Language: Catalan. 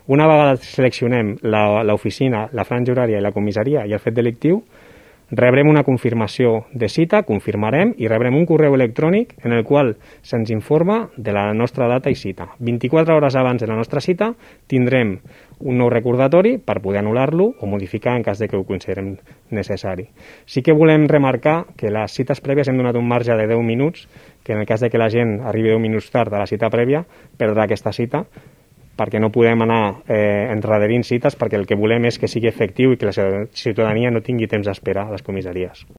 Una vegada seleccionem l'oficina, la franja horària i la comissaria i el fet delictiu, rebrem una confirmació de cita, confirmarem i rebrem un correu electrònic en el qual se'ns informa de la nostra data i cita. 24 hores abans de la nostra cita tindrem un nou recordatori per poder anul·lar-lo o modificar en cas de que ho considerem necessari. Sí que volem remarcar que les cites prèvies hem donat un marge de 10 minuts, que en el cas de que la gent arribi 10 minuts tard a la cita prèvia, perdrà aquesta cita, perquè no podem anar endarrerint cites, perquè el que volem és que sigui efectiu i que la ciutadania no tingui temps d'espera a les comissaries.